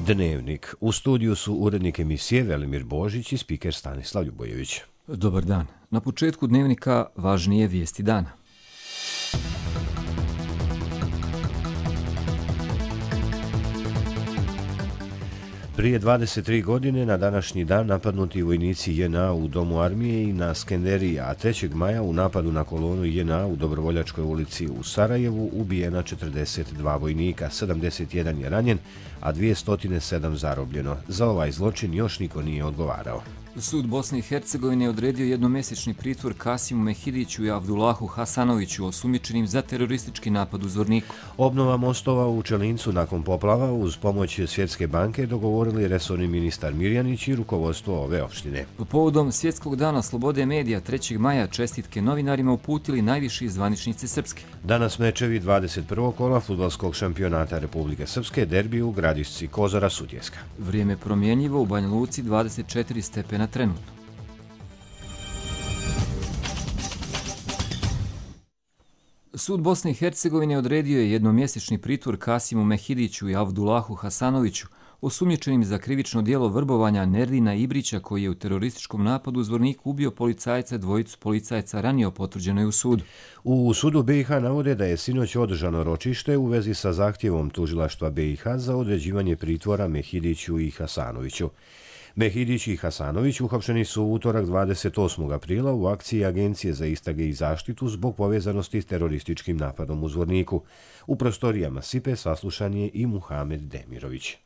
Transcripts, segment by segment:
Dnevnik. U studiju su urednik emisije Velimir Božić i spiker Stanislav Ljubojević. Dobar dan. Na početku Dnevnika važnije vijesti dana. Prije 23 godine na današnji dan napadnuti vojnici JNA u Domu armije i na Skenderiji, a 3. maja u napadu na kolonu JNA u Dobrovoljačkoj ulici u Sarajevu ubijena 42 vojnika, 71 je ranjen, a 207 zarobljeno. Za ovaj zločin još niko nije odgovarao. Sud Bosne i Hercegovine je odredio jednomjesečni pritvor Kasimu Mehidiću i Abdulahu Hasanoviću osumnjičenim za teroristički napad u Zvorniku. Obnova mostova u Čelincu nakon poplava uz pomoć Svjetske banke dogovorili resorni ministar Mirjanić i rukovodstvo ove opštine. Povodom Svjetskog dana slobode medija 3. maja čestitke novinarima uputili najviši zvaničnici Srpske. Danas mečevi 21. kola fudbalskog šampionata Republike Srpske, derbi u Gradišci Kozara Sutjeska. Vrijeme promjenjivo, u Banja Luci 24 stepena trenutno. Sud Bosne i Hercegovine odredio je jednomjesečni pritvor Kasimu Mehidiću i Abdulahu Hasanoviću, osumnjičenim za krivično djelo vrbovanja Nerdina Ibrića, koji je u terorističkom napadu u Zvorniku ubio policajca, dvojicu policajaca ranije potvrđeno je u sudu. U sudu BiH navode da je sinoć održano ročište u vezi sa zahtjevom tužilaštva BiH za određivanje pritvora Mehidiću i Hasanoviću. Mehidić i Hasanović uhapšeni su u utorak 28. aprila u akciji Agencije za istrage i zaštitu zbog povezanosti s terorističkim napadom u Zvorniku. U prostorijama SIPE saslušan je i Muhamed Demirović.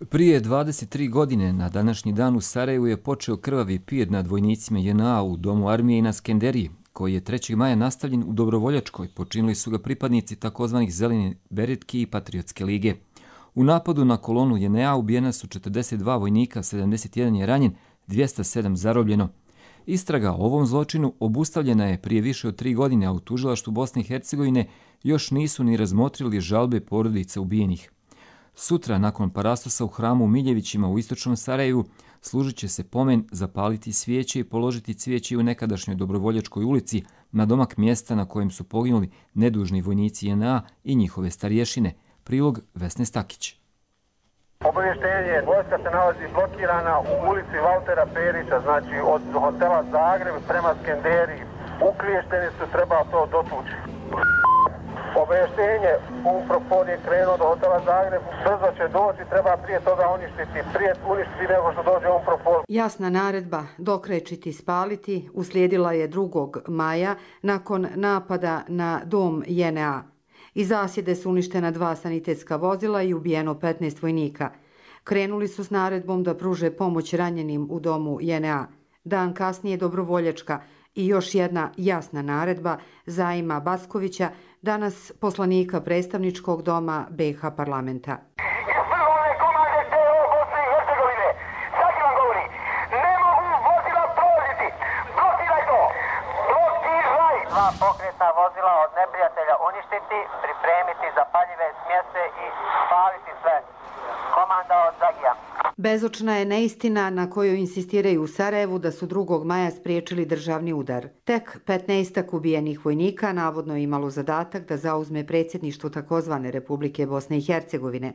Prije 23 godine na današnji dan u Sarajevu je počeo krvavi pijet nad vojnicima JNA u Domu armije i na Skenderiji, koji je 3. maja nastavljen u Dobrovoljačkoj. Počinili su ga pripadnici takozvanih Zelene beretki i Patriotske lige. U napadu na kolonu JNA ubijena su 42 vojnika, 71 je ranjen, 207 zarobljeno. Istraga o ovom zločinu obustavljena je prije više od 3 godine, a u tužilaštvu Bosne i Hercegovine još nisu ni razmotrili žalbe porodica ubijenih. Sutra, nakon parastosa u hramu u Miljevićima u istočnom Sarajevu, služit će se pomen, zapaliti svijeće i položiti cvijeće u nekadašnjoj Dobrovoljačkoj ulici na domak mjesta na kojem su poginuli nedužni vojnici JNA i njihove starješine. Prilog Vesne Stakić. Obavještenje, vojska se nalazi blokirana u ulici Valtera Perića, znači od hotela Zagreb prema Skenderiji. Ukliješteni su, treba to dotući. Obavještenje, UNPROFOR je krenuo do hotela Zagreb, brzo će doći, treba prije toga uništiti nego što dođe UNPROFOR. Jasna naredba dokrečiti spaliti uslijedila je 2. maja nakon napada na dom JNA. Iz zasjede su uništena 2 sanitetska vozila i ubijeno 15 vojnika. Krenuli su s naredbom da pruže pomoć ranjenim u domu JNA. Dan kasnije Dobrovoljačka i još jedna jasna naredba Zaima Baskovića, danas poslanika predstavničkog doma BiH parlamenta. Pokretna vozila od neprijatelja uništiti, pripremiti zapaljive smjese i spaliti sve. Komanda od Zagija. Bezočna je neistina na kojoj insistiraju u Sarajevu da su 2. maja spriječili državni udar. Tek 15 ubijenih vojnika navodno je imalo zadatak da zauzme predsjedništvo takozvane Republike Bosne i Hercegovine.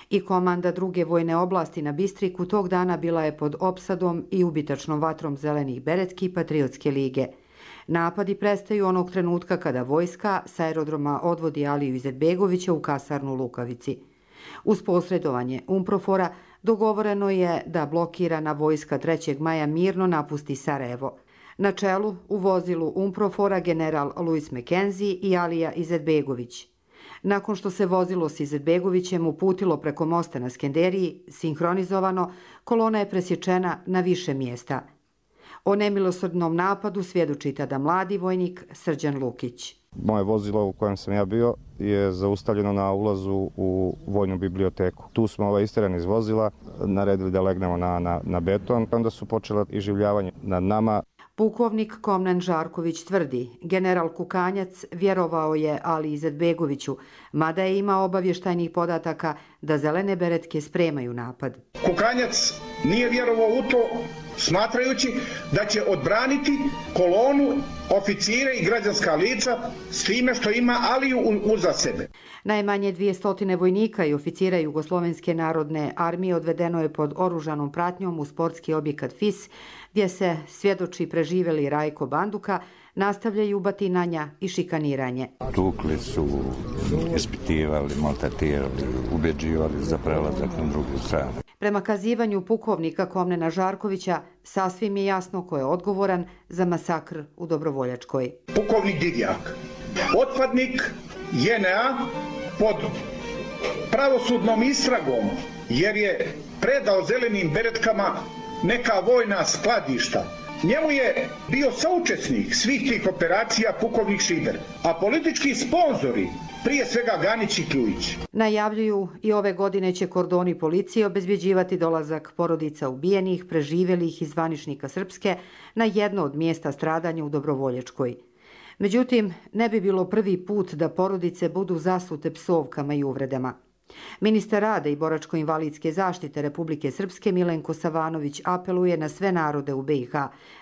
I komanda 2. vojne oblasti na Bistriku tog dana bila je pod opsadom i ubitačnom vatrom Zelenih beretki i Patriotske lige. Napadi prestaju onog trenutka kada vojska s aerodroma odvodi Aliju Izetbegovića u kasarnu u Lukavici. Uz posredovanje UNPROFOR-a dogovoreno je da blokirana vojska 3. maja mirno napusti Sarajevo. Na čelu u vozilu UNPROFOR-a general Louis McKenzie i Alija Izetbegović. Nakon što se vozilo s Izetbegovićem uputilo preko mosta na Skenderiji, sinhronizovano, kolona je presječena na više mjesta. O nemilosrdnom napadu svjedoči tada mladi vojnik Srđan Lukić. Moje vozilo u kojem sam ja bio je zaustavljeno na ulazu u vojnu biblioteku. Tu smo isterani iz vozila, naredili da legnemo na beton, onda su počela iživljavanje nad nama. Pukovnik Komnen Žarković tvrdi, general Kukanjac vjerovao je Ali Izetbegoviću, mada je imao obavještajnih podataka da zelene beretke spremaju napad. Kukanjac nije vjerovao u to, smatrajući da će odbraniti kolonu, oficire i građanska lica s time što ima Aliju uza sebe. Najmanje 200 vojnika i oficira Jugoslovenske narodne armije odvedeno je pod oružanom pratnjom u sportski objekat FIS, gdje se svjedoči preživjeli Rajko Banduka, nastavljaju batinanja i šikaniranje. Tukli su, ispitivali, maltretirali, ubeđivali za prelazak na drugu stranu. Prema kazivanju pukovnika Komnena Žarkovića, sasvim je jasno ko je odgovoran za masakr u Dobrovoljačkoj. Pukovnik Divjak, otpadnik JNA pod pravosudnom istragom jer je predao zelenim beretkama neka vojna skladišta. Njemu je bio saučesnik svih tih operacija pukovnik Šider, a politički sponzori prije svega Ganić i Kljujić. Najavljuju i ove godine će kordoni policije obezbjeđivati dolazak porodica ubijenih, preživjelih i zvaničnika Srpske na jedno od mjesta stradanja u Dobrovoljačkoj. Međutim, ne bi bilo prvi put da porodice budu zasute psovkama i uvredama. Ministar rada i boračko-invalidske zaštite Republike Srpske Milenko Savanović apeluje na sve narode u BiH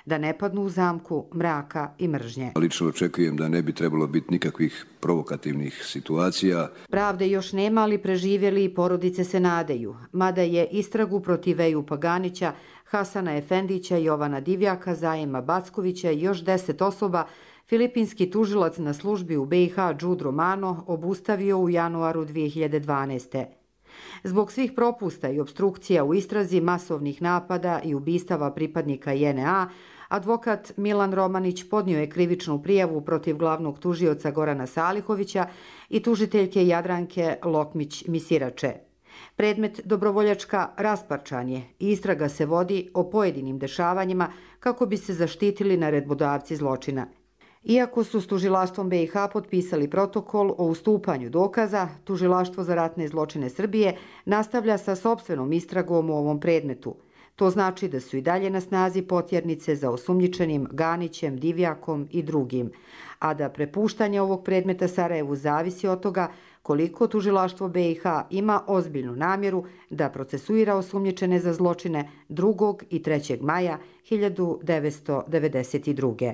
da ne padnu u zamku mraka i mržnje. Lično očekujem da ne bi trebalo biti nikakvih provokativnih situacija. Pravde još nema, ali preživjeli i porodice se nadaju. Mada je istragu protiv Ejupa Ganića, Hasana Efendića, Jovana Divjaka, Zajema Backovića i još 10 osoba filipinski tužilac na službi u BiH Đud Romano obustavio u januaru 2012. Zbog svih propusta i opstrukcija u istrazi masovnih napada i ubistava pripadnika JNA, advokat Milan Romanić podnio je krivičnu prijavu protiv glavnog tužioca Gorana Salihovića i tužiteljke Jadranke Lokmić-Misirače. Predmet Dobrovoljačka rasparčan je i istraga se vodi o pojedinim dešavanjima kako bi se zaštitili naredbodavci zločina. Iako su s tužilaštvom BiH potpisali protokol o ustupanju dokaza, Tužilaštvo za ratne zločine Srbije nastavlja sa sopstvenom istragom u ovom predmetu. To znači da su i dalje na snazi potjernice za osumnjičenim Ganićem, Divjakom i drugim, a da prepuštanje ovog predmeta Sarajevu zavisi od toga koliko Tužilaštvo BiH ima ozbiljnu namjeru da procesuira osumnjičene za zločine 2. i 3. maja 1992.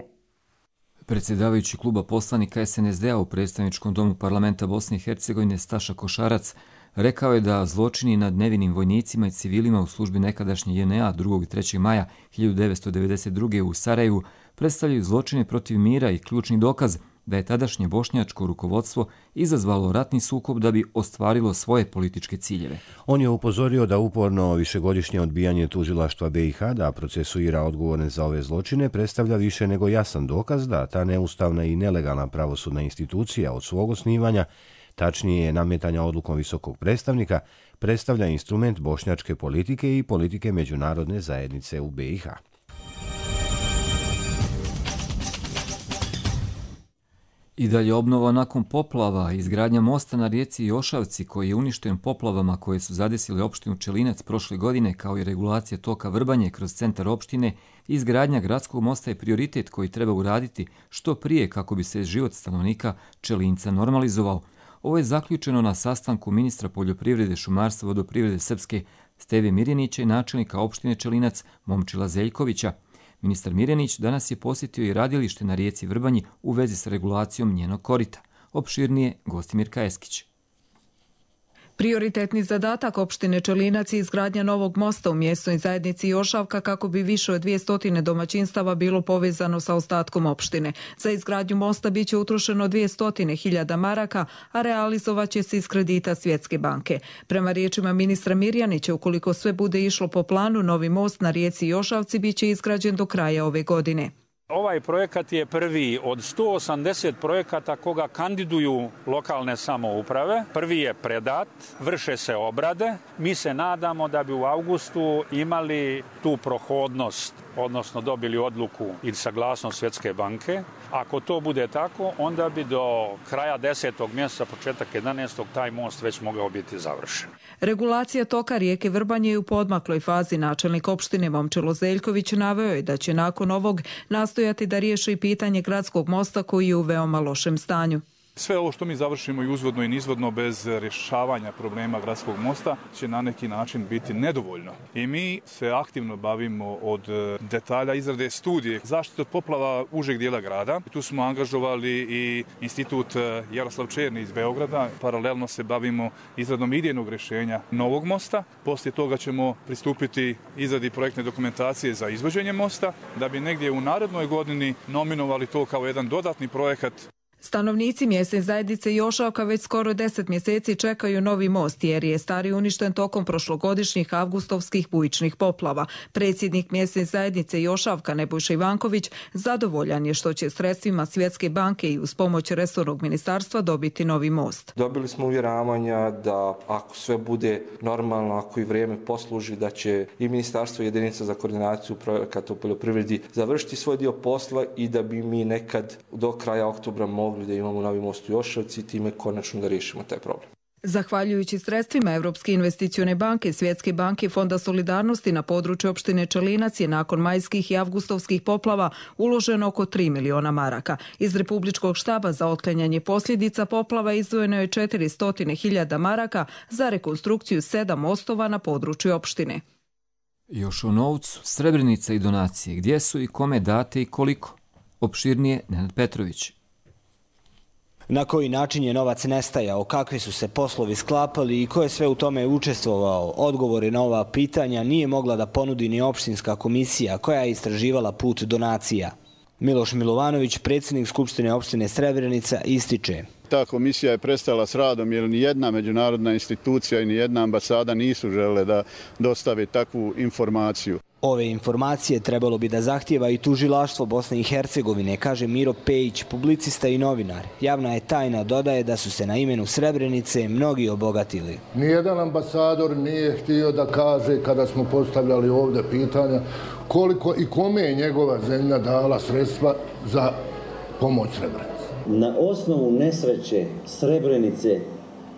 Predsjedavajući kluba poslanika SNSD-a u predstavničkom domu parlamenta Bosne i Hercegovine Staša Košarac rekao je da zločini nad nevinim vojnicima i civilima u službi nekadašnje JNA 2. i 3. maja 1992. u Sarajevu predstavljaju zločine protiv mira i ključni dokaz da je tadašnje bošnjačko rukovodstvo izazvalo ratni sukob da bi ostvarilo svoje političke ciljeve. On je upozorio da uporno višegodišnje odbijanje tužilaštva BiH da procesuira odgovorne za ove zločine predstavlja više nego jasan dokaz da ta neustavna i nelegalna pravosudna institucija od svog osnivanja, tačnije nametanja odlukom visokog predstavnika, predstavlja instrument bošnjačke politike i politike međunarodne zajednice u BiH. I dalje obnova nakon poplava, izgradnja mosta na rijeci Jošavci koji je uništen poplavama koje su zadesile opštinu Čelinac prošle godine, kao i regulacija toka Vrbanje kroz centar opštine, izgradnja gradskog mosta je prioritet koji treba uraditi što prije kako bi se život stanovnika Čelinca normalizovao. Ovo je zaključeno na sastanku ministra poljoprivrede, šumarstva, vodoprivrede Srpske Steve Mirjanića i načelnika opštine Čelinac Momčila Zeljkovića. Ministar Mirjanić danas je posjetio i radilište na rijeci Vrbanji u vezi s regulacijom njenog korita. Opširnije Gostimir Kajeskić. Prioritetni zadatak opštine Čelinac je izgradnja novog mosta u mjesnoj zajednici Jošavka kako bi više od 200 domaćinstava bilo povezano sa ostatkom opštine. Za izgradnju mosta biće utrošeno 200.000 maraka, a realizovat će se iz kredita Svjetske banke. Prema riječima ministra Mirjanića, ukoliko sve bude išlo po planu, novi most na rijeci Jošavci biće izgrađen do kraja ove godine. Ovaj projekat je prvi od 180 projekata koga kandiduju lokalne samouprave. Prvi je predat, vrše se obrade. Mi se nadamo da bi u avgustu imali tu prohodnost, odnosno dobili odluku ili saglasnost Svjetske banke. Ako to bude tako, onda bi do kraja 10. mjeseca, početak 11. taj most već mogao biti završen. Regulacija toka rijeke Vrbanje je u poodmakloj fazi. Načelnik opštine Momčilo Zeljković naveo je da će nakon ovog nastojati da riješi pitanje gradskog mosta koji je u veoma lošem stanju. Sve ovo što mi završimo i uzvodno i nizvodno bez rješavanja problema gradskog mosta će na neki način biti nedovoljno. I mi se aktivno bavimo od detalja izrade studije zaštite od poplava užeg dijela grada. Tu smo angažovali i institut Jaroslav Černi iz Beograda. Paralelno se bavimo izradom idejnog rješenja novog mosta. Poslije toga ćemo pristupiti izradi projektne dokumentacije za izvođenje mosta, da bi negdje u narednoj godini nominovali to kao jedan dodatni projekat. Stanovnici mjesne zajednice Jošavka već skoro 10 mjeseci čekaju novi most jer je stari uništen tokom prošlogodišnjih avgustovskih bujičnih poplava. Predsjednik mjesne zajednice Jošavka Nebojša Ivanković zadovoljan je što će sredstvima Svjetske banke i uz pomoć resornog ministarstva dobiti novi most. Dobili smo uvjeravanja da ako sve bude normalno, ako i vrijeme posluži, da će i ministarstvo i jedinica za koordinaciju projekata u poljoprivredi završiti svoj dio posla i da bi mi nekad do kraja oktobra mogli da imamo novi most u Jošavci i time konačno da riješimo taj problem. Zahvaljujući sredstvima Europske investicione banke, Svjetske banke i Fonda solidarnosti na području opštine Čelinac je nakon majskih i avgustovskih poplava uloženo oko 3 miliona maraka. Iz Republičkog štaba za otklanjanje posljedica poplava izdvojeno je 400.000 maraka za rekonstrukciju 7 mostova na području opštine. Još o novcu, Srebrenica i donacije. Gdje su i kome date i koliko? Opširnije Nenad Petrović. Na koji način je novac nestajao, kakvi su se poslovi sklapali i ko je sve u tome učestvovao, odgovore na ova pitanja nije mogla da ponudi ni opštinska komisija koja je istraživala put donacija. Miloš Milovanović, predsjednik Skupštine opštine Srebrenica, ističe: Ta komisija je prestala s radom jer ni jedna međunarodna institucija i ni jedna ambasada nisu žele da dostave takvu informaciju. Ove informacije trebalo bi da zahtijeva i tužilaštvo Bosne i Hercegovine, kaže Miro Pejić, publicista i novinar. Javna je tajna, dodaje da su se na imenu Srebrenice mnogi obogatili. Nijedan ambasador nije htio da kaže, kada smo postavljali ovdje pitanja, koliko i kome je njegova zemlja dala sredstva za pomoć Srebrenici. Na osnovu nesreće Srebrenice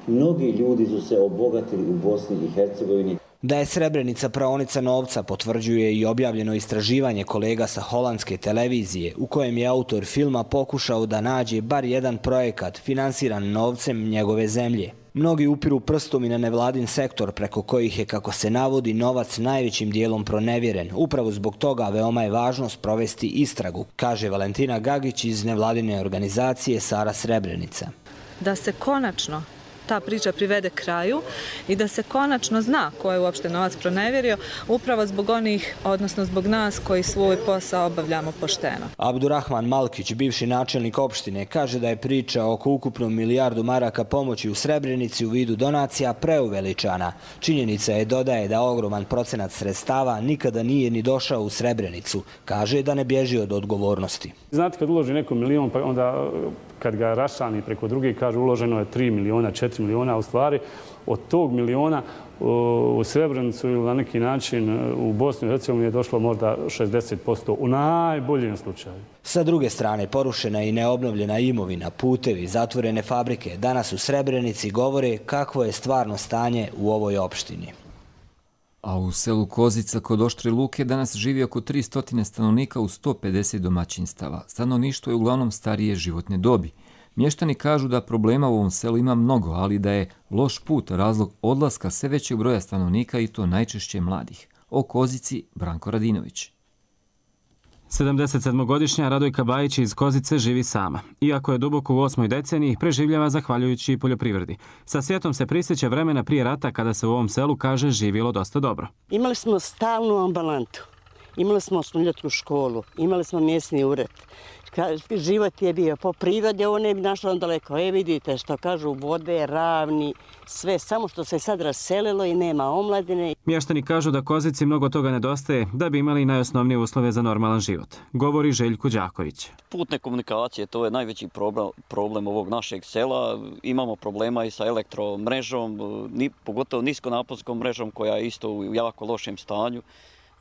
mnogi ljudi su se obogatili u Bosni i Hercegovini. Da je Srebrenica praonica novca potvrđuje i objavljeno istraživanje kolega sa holandske televizije u kojem je autor filma pokušao da nađe bar jedan projekat finansiran novcem njegove zemlje. Mnogi upiru prstom i na nevladin sektor preko kojih je, kako se navodi, novac najvećim dijelom pronevjeren. Upravo zbog toga veoma je važno sprovesti istragu, kaže Valentina Gagić iz nevladine organizacije Sara Srebrenica. Da se konačno ta priča privede kraju i da se konačno zna ko je uopšte novac pronevjerio, upravo zbog onih, odnosno zbog nas koji svoj posao obavljamo pošteno. Abdurrahman Malkić, bivši načelnik opštine, kaže da je priča oko ukupno 1 milijardu maraka pomoći u Srebrenici u vidu donacija preuveličana. Činjenica je, dodaje, da ogroman procenat sredstava nikada nije ni došao u Srebrenicu. Kaže da ne bježi od odgovornosti. Znate, kad uloži neko milion, pa onda kad ga rašani preko drugih, kaže uloženo je 3 miliona, 4 miliona, a u stvari od tog miliona u Srebrenicu ili na neki način u Bosnu i Hercegovini je došlo možda 60% u najboljem slučaju. Sa druge strane, porušena i neobnovljena imovina, putevi, zatvorene fabrike danas u Srebrenici govore kakvo je stvarno stanje u ovoj opštini. A u selu Kozica kod Oštre Luke danas živi oko 300 stanovnika u 150 domaćinstava. Stanovništvo je uglavnom starije životne dobi. Mještani kažu da problema u ovom selu ima mnogo, ali da je loš put razlog odlaska sve većeg broja stanovnika i to najčešće mladih. O Kozici Branko Radinović. 77-godišnja Radojka Bajić iz Kozice živi sama. Iako je duboko u 8. deceniji, preživljava zahvaljujući poljoprivredi. Sa sjetom se prisjeća vremena prije rata kada se u ovom selu, kaže, živjelo dosta dobro. Imali smo stalnu ambulantu, imali smo osnovnjotnu školu, imali smo mjesni ured. Život je bio po prirodi, ovo ne bi našlo daleko. Vidite što kažu, vode, ravni, sve, samo što se sad raselilo i nema omladine. Mještani kažu da Kozici mnogo toga nedostaje da bi imali najosnovnije uslove za normalan život, govori Željko Đaković. Putne komunikacije, to je najveći problem ovog našeg sela. Imamo problema i sa elektromrežom, pogotovo niskonaponskom mrežom koja je isto u jako lošem stanju.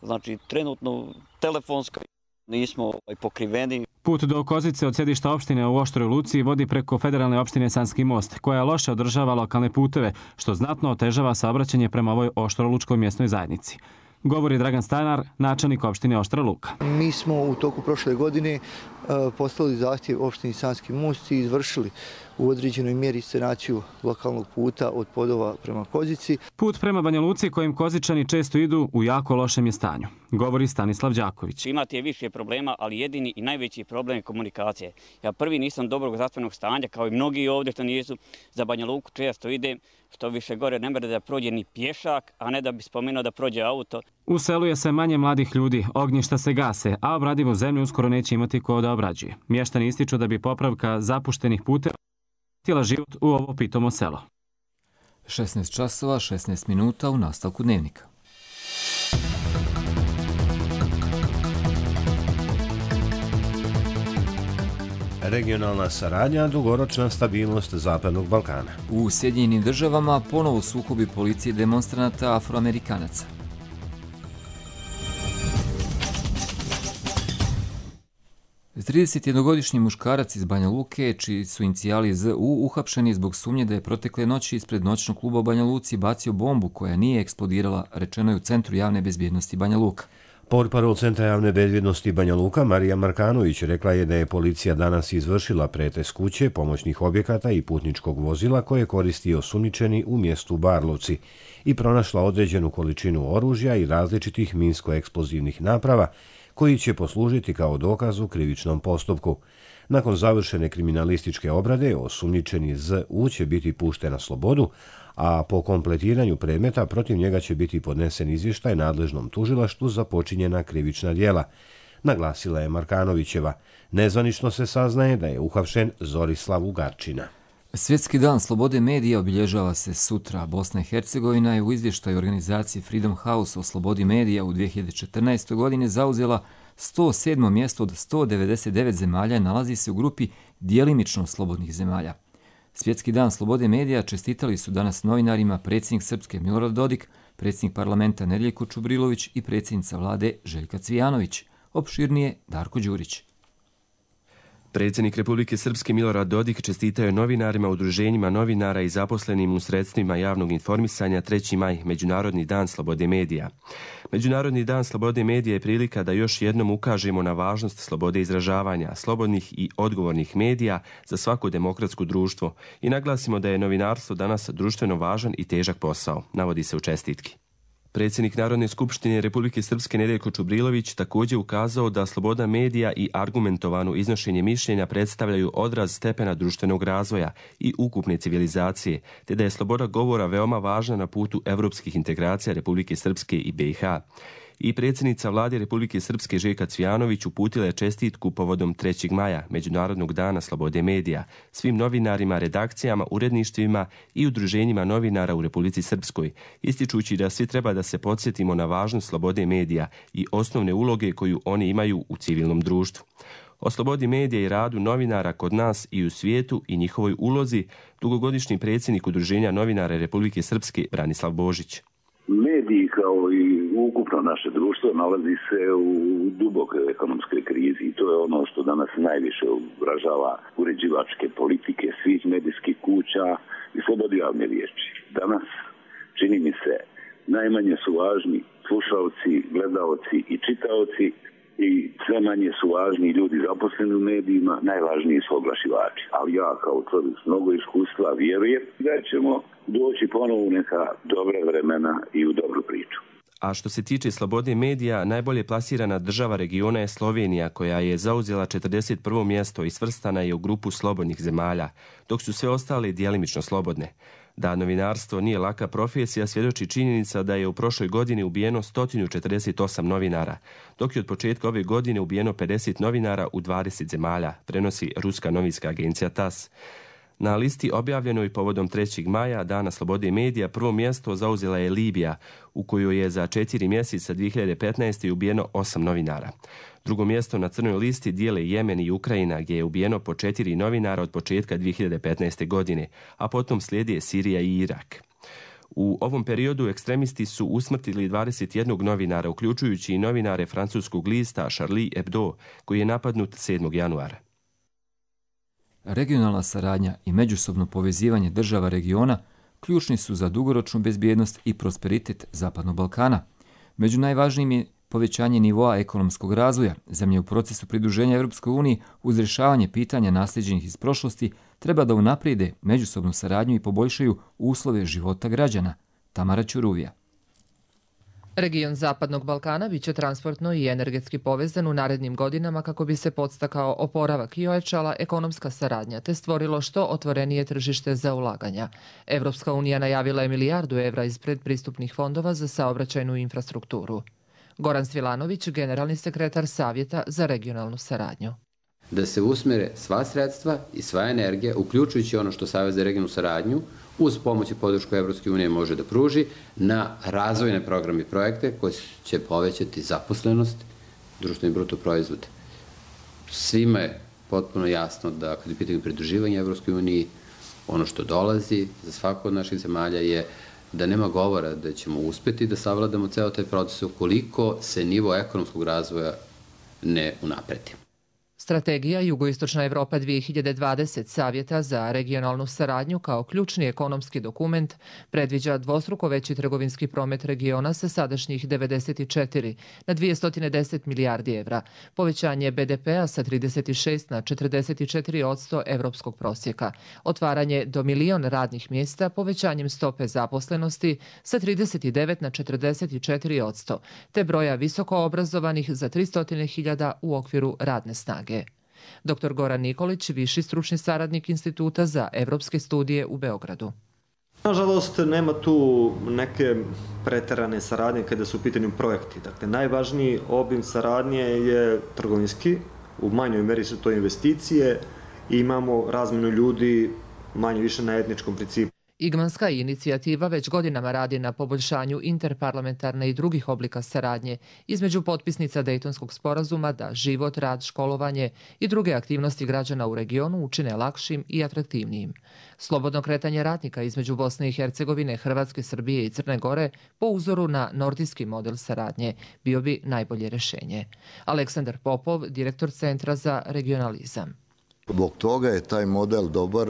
Znači, trenutno telefonska nismo pokriveni. Put do Kozice od sjedišta opštine u Oštroj Luci vodi preko federalne opštine Sanski most, koja loše održava lokalne puteve, što znatno otežava saobraćanje prema ovoj Oštrolučkoj mjesnoj zajednici. Govori Dragan Stanar, načelnik opštine Oštra Luka. Mi smo u toku prošle godine postavili zahtjev opštini Sanski most i izvršili u određenoj mjeri sanaciju lokalnog puta od Podova prema Kozici. Put prema Banja Luci kojim Kozičani često idu u jako lošem je stanju, govori Stanislav Đaković. Imate više problema, ali jedini i najveći problem je komunikacije. Ja prvi nisam dobrog zdravstvenog stanja, kao i mnogi ovdje što nisu. Za Banja Luku često idem, što više gore ne mere da prođe ni pješak, a ne da bi spomenuo da prođe auto. U selu je sve manje mladih ljudi, ognjišta se gase, a obradivu zemlju uskoro neće imati ko da obrađuje. Mještani ističu da bi popravka zapuštenih puteva htjela život u ovo pitomo selo. 16 časova, 16 minuta u nastavku dnevnika. Regionalna saradnja, dugoročna stabilnost Zapadnog Balkana. U Sjedinjenim državama ponovo sukobi policije demonstranata Afroamerikanaca. Tridesetjednogodišnji muškarac iz Banja Luke, čiji su inicijali ZU, uhapšeni zbog sumnje da je protekle noći ispred noćnog kluba u Banja Luci bacio bombu koja nije eksplodirala, rečeno je u Centru javne bezbjednosti Banja Luka. Portparol Centra javne bezbjednosti Banja Luka Marija Markanović rekla je da je policija danas izvršila pretres kuće, pomoćnih objekata i putničkog vozila koje koristi osumnjičeni u mjestu Barlovci i pronašla određenu količinu oružja i različitih minsko-eksplozivnih naprava koji će poslužiti kao dokaz u krivičnom postupku. Nakon završene kriminalističke obrade, osumnjičeni ZU će biti pušten na slobodu, a po kompletiranju predmeta protiv njega će biti podnesen izvještaj nadležnom tužilaštvu za počinjena krivična djela, naglasila je Markanovićeva. Nezvanično se saznaje da je uhapšen Zorislav Ugarčina. Svjetski dan slobode medija obilježava se sutra. Bosna i Hercegovina je u izvještaju organizacije Freedom House o slobodi medija u 2014. godini zauzela 107. mjesto od 199 zemalja i nalazi se u grupi djelimično slobodnih zemalja. Svjetski dan slobode medija čestitali su danas novinarima predsjednik Srpske Milorad Dodik, predsjednik parlamenta Nedjeljko Čubrilović i predsjednica vlade Željka Cvijanović. Opširnije Darko Đurić. Predsjednik Republike Srpske Milorad Dodik čestitao je novinarima, udruženjima novinara i zaposlenim u sredstvima javnog informisanja 3. maj, Međunarodni dan slobode medija. Međunarodni dan slobode medija je prilika da još jednom ukažemo na važnost slobode izražavanja, slobodnih i odgovornih medija za svako demokratsko društvo i naglasimo da je novinarstvo danas društveno važan i težak posao, navodi se u čestitki. Predsjednik Narodne skupštine Republike Srpske Nedjeljko Čubrilović također ukazao da sloboda medija i argumentovano iznošenje mišljenja predstavljaju odraz stepena društvenog razvoja i ukupne civilizacije, te da je sloboda govora veoma važna na putu evropskih integracija Republike Srpske i BiH. I predsjednica vlade Republike Srpske Željka Cvijanović uputila je čestitku povodom 3. maja, Međunarodnog dana slobode medija, svim novinarima, redakcijama, uredništvima i udruženjima novinara u Republici Srpskoj, ističući da svi treba da se podsjetimo na važnost slobode medija i osnovne uloge koju oni imaju u civilnom društvu. O slobodi medija i radu novinara kod nas i u svijetu i njihovoj ulozi dugogodišnji predsjednik Udruženja novinara Republike Srpske Branislav Božić. Mediji kao i ukupno naše društvo nalazi se u dubokoj ekonomskoj krizi i to je ono što danas najviše ugrožava uređivačke politike svih medijskih kuća i slobodu javne riječi. Danas, čini mi se, najmanje su važni slušalci, gledaoci i čitaoci i sve manje su važni ljudi zaposleni u medijima, najvažniji su oglašivači. Ali ja kao čovjek s mnogo iskustva vjerujem da ćemo doći ponovo u neka dobra vremena i u dobru priču. A što se tiče slobode medija, najbolje plasirana država regiona je Slovenija, koja je zauzela 41. mjesto i svrstana je u grupu slobodnih zemalja, dok su sve ostale djelimično slobodne. Da novinarstvo nije laka profesija svjedoči činjenica da je u prošloj godini ubijeno 148 novinara, dok je od početka ove godine ubijeno 50 novinara u 20 zemalja, prenosi ruska novinska agencija TASS. Na listi objavljenoj povodom 3. maja, Dana slobode medija, prvo mjesto zauzela je Libija, u kojoj je za 4 mjeseca 2015. ubijeno 8 novinara. Drugo mjesto na crnoj listi dijele Jemen i Ukrajina, gdje je ubijeno po 4 novinara od početka 2015. godine, a potom slijede Sirija i Irak. U ovom periodu ekstremisti su usmrtili 21 novinara, uključujući i novinare francuskog lista Charlie Hebdo, koji je napadnut 7. januara. Regionalna saradnja i međusobno povezivanje država regiona ključni su za dugoročnu bezbjednost i prosperitet Zapadnog Balkana. Među najvažnijim je povećanje nivoa ekonomskog razvoja. Zemlje u procesu pridruženja Europskoj uniji uz rješavanje pitanja naslijeđenih iz prošlosti treba da unaprijede međusobnu saradnju i poboljšaju uslove života građana. Tamara Ćuruvija. Region Zapadnog Balkana biće transportno i energetski povezan u narednim godinama kako bi se podstakao oporavak i ojačala ekonomska saradnja te stvorilo što otvorenije tržište za ulaganja. Evropska unija najavila je milijardu evra iz predpristupnih fondova za saobraćajnu infrastrukturu. Goran Svilanović, generalni sekretar Savjeta za regionalnu saradnju. Da se usmere sva sredstva i sva energija, uključujući ono što Savjet za regionalnu saradnju uz pomoć i podršku Evropske unije može da pruži na razvojne programe i projekte koji će povećati zaposlenost, društveni bruto proizvod. Svima je potpuno jasno da kad je pitanje pridruživanja Evropskoj uniji, ono što dolazi za svaku od naših zemalja je da nema govora da ćemo uspeti da savladamo ceo taj proces ukoliko se nivo ekonomskog razvoja ne unapredi. Strategija Jugoistočna Evropa 2020 Savjeta za regionalnu saradnju kao ključni ekonomski dokument predviđa dvostruko veći trgovinski promet regiona sa sadašnjih 94 na 210 milijardi evra, povećanje BDP-a sa 36 na 44% evropskog prosjeka, otvaranje do 1.000.000 radnih mjesta povećanjem stope zaposlenosti sa 39 na 44%, te broja visoko obrazovanih za 300.000 u okviru radne snage. Dr. Goran Nikolić, viši stručni saradnik Instituta za evropske studije u Beogradu. Nažalost, nema tu neke preterane saradnje kada su u pitanju projekti. Dakle, najvažniji obim saradnje je trgovinski, u manjoj meri su to investicije i imamo razmenu ljudi manje više na etničkom principu. Igmanska inicijativa već godinama radi na poboljšanju interparlamentarne i drugih oblika saradnje između potpisnica Dejtonskog sporazuma da život, rad, školovanje i druge aktivnosti građana u regionu učine lakšim i atraktivnijim. Slobodno kretanje radnika između Bosne i Hercegovine, Hrvatske, Srbije i Crne Gore po uzoru na nordijski model saradnje bio bi najbolje rješenje. Aleksandar Popov, direktor Centra za regionalizam. Zbog toga je taj model dobar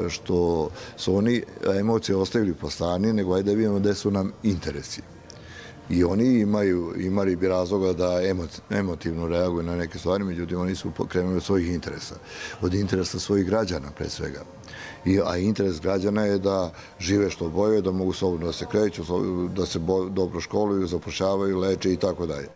što su oni emocije ostavili po strani, nego ajde da vidimo gde su nam interesi. I oni imali bi razloga da emotivno reaguju na neke stvari, međutim oni su krenuli od svojih interesa, od interesa svojih građana pre svega. A interes građana je da žive što bolje, da mogu slobodno da se kreću, da se dobro školuju, zapošljavaju, leče i tako dalje.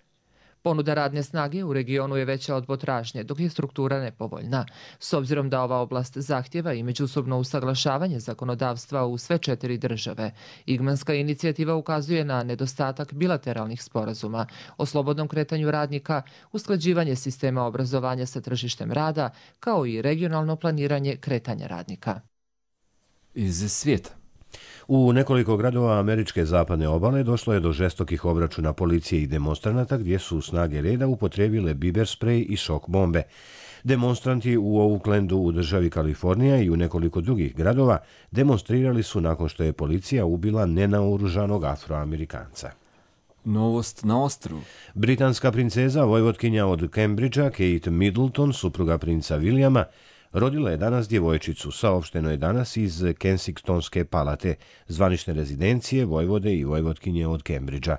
Ponuda radne snage u regionu je veća od potražnje, dok je struktura nepovoljna. S obzirom da ova oblast zahtjeva i međusobno usaglašavanje zakonodavstva u sve 4 države, Igmanska inicijativa ukazuje na nedostatak bilateralnih sporazuma o slobodnom kretanju radnika, usklađivanje sistema obrazovanja sa tržištem rada, kao i regionalno planiranje kretanja radnika. Iz svijeta. U nekoliko gradova američke zapadne obale došlo je do žestokih obračuna policije i demonstranata gdje su snage reda upotrijebile biber sprej i šok bombe. Demonstranti u Oaklandu u državi Kalifornija i u nekoliko drugih gradova demonstrirali su nakon što je policija ubila nenaoružanog Afroamerikanca. Novost na ostrvu. Britanska princeza, vojvotkinja od Cambridgea, Kate Middleton, supruga princa Williama, rodila je danas djevojčicu, saopšteno je danas iz Kensingtonske palate, zvanične rezidencije vojvode i vojvotkinje od Cambridgea.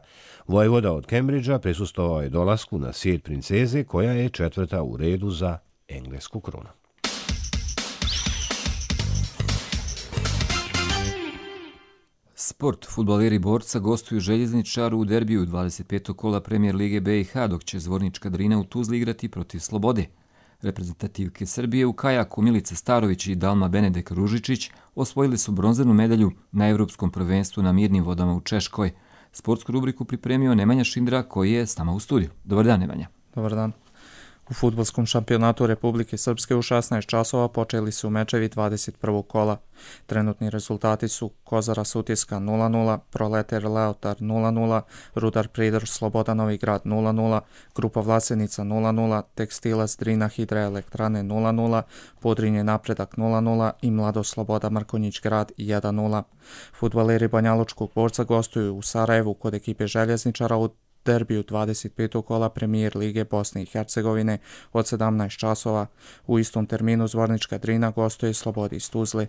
Vojvoda od Cambridgea prisustvovao je dolasku na svijet princeze, koja je 4. u redu za englesku krunu. Sport. Fudbaleri Borca gostuju Željezničaru u derbiju 25. kola Premijer Lige BiH, dok će Zvornička Drina u Tuzli igrati protiv Slobode. Reprezentativke Srbije u kajaku Milica Starović i Dalma Benedek Ružičić osvojili su bronzanu medalju na Evropskom prvenstvu na mirnim vodama u Češkoj. Sportsku rubriku pripremio Nemanja Šindra, koji je s nama u studiju. Dobar dan, Nemanja. Dobar dan. U fudbalskom šampionatu Republike Srpske u 16 časova počeli su mečevi 21. kola. Trenutni rezultati su Kozara Sutjeska 0-0, Proletar Leotar 0-0, Rudar Pridor Sloboda Novi Grad 0-0, Grupa Vlasenica 0-0, Tekstilac Drina Hidroelektrane 0-0, Podrinje Napredak 0-0 i Mlado Sloboda Mrkonjić Grad 1-0. Fudbaleri Banjalučkog Borca gostuju u Sarajevu kod ekipe Željezničara u derbiju 25. kola Premijer Lige Bosne i Hercegovine od 17 časova. U istom terminu Zvornička Drina gostuje Slobodi iz Tuzli.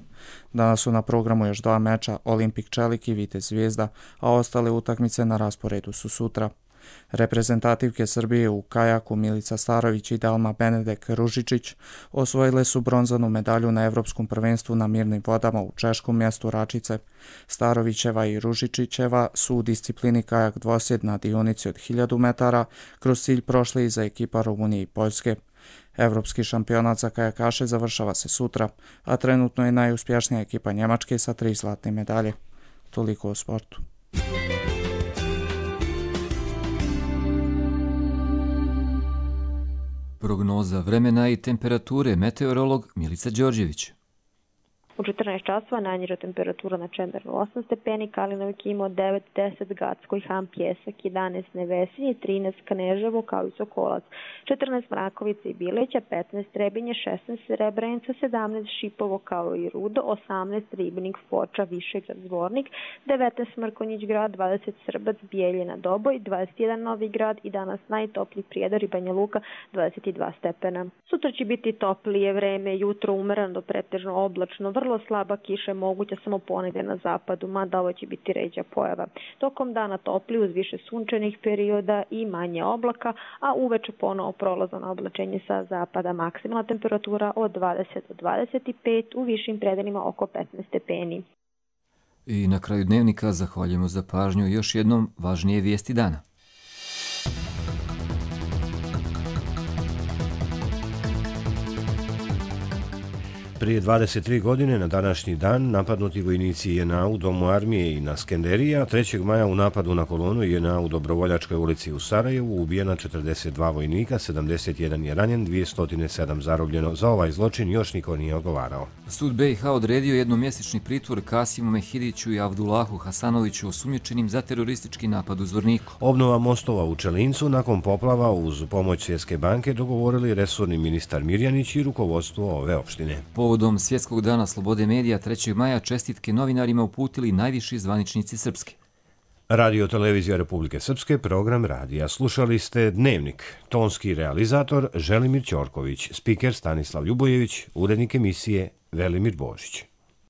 Danas su na programu još 2 meča, Olimpik Čelik i Vitez Zvijezda, a ostale utakmice na rasporedu su sutra. Reprezentativke Srbije u kajaku Milica Starović i Dalma Benedek Ružičić osvojile su bronzanu medalju na Evropskom prvenstvu na mirnim vodama u češkom mjestu Račice. Starovićeva i Ružičićeva su u disciplini kajak dvosjed na dionici od 1000 metara kroz cilj prošli i za ekipa Rumunije i Poljske. Evropski šampionat za kajakaše završava se sutra, a trenutno je najuspješnija ekipa Njemačke sa 3 zlatne medalje. Toliko o sportu. Prognoza vremena i temperature, meteorolog Milica Đorđević. U 14 časova najniža temperatura na Čenderu 8 stepeni, Kalinov Kimo 9, 10 Gacko i Han Pjesak, 11 Nevesinje, 13 Kneževo kao i Sokolac, 14 Mrakovica i Bileća, 15 Trebinje, 16 Srebrenica, 17 Šipovo kao i Rudo, 18 Ribnik, Foča, Višegrad, Zvornik, 19 Mrkonjić grad, 20 Srbac, Bijeljina, Doboj, 21 Novi grad i danas najtopliji Prijedor i Banja Luka 22 stepena. Sutra će biti toplije vreme, jutro umereno do pretežno oblačno, vrlo slaba kiša je moguća samo ponegdje na zapadu, mada ovo će biti ređa pojava. Tokom dana topli uz više sunčanih perioda i manje oblaka, a uveče ponovo prolazno oblačenje sa zapada. Maksimalna temperatura od 20 do 25, u višim predelima oko 15 stepeni. I na kraju dnevnika zahvaljujemo za pažnju još jednom važnije vijesti dana. Prije 23 godine na današnji dan napadnuti vojnici JNA u Domu armije i na Skenderiji, a 3. maja u napadu na kolonu JNA u Dobrovoljačkoj ulici u Sarajevu ubijena 42 vojnika, 71 je ranjen, 207 zarobljeno. Za ovaj zločin još niko nije odgovarao. Sud BiH odredio jednomjesečni pritvor Kasimu Mehidiću i Avdulahu Hasanoviću osumnjičenim za teroristički napad u Zvorniku. Obnova mostova u Čelincu nakon poplava uz pomoć Svjetske banke dogovorili resorni ministar Mirjanić i rukovodstvo ove opštine. Povodom Svjetskog dana slobode medija 3. maja čestitke novinarima uputili najviši zvaničnici Srpske. Radio Televizija Republike Srpske, program radija. Slušali ste Dnevnik. Tonski realizator Želimir Ćorković, spiker Stanislav Ljubojević, urednik emisije Velimir Božić.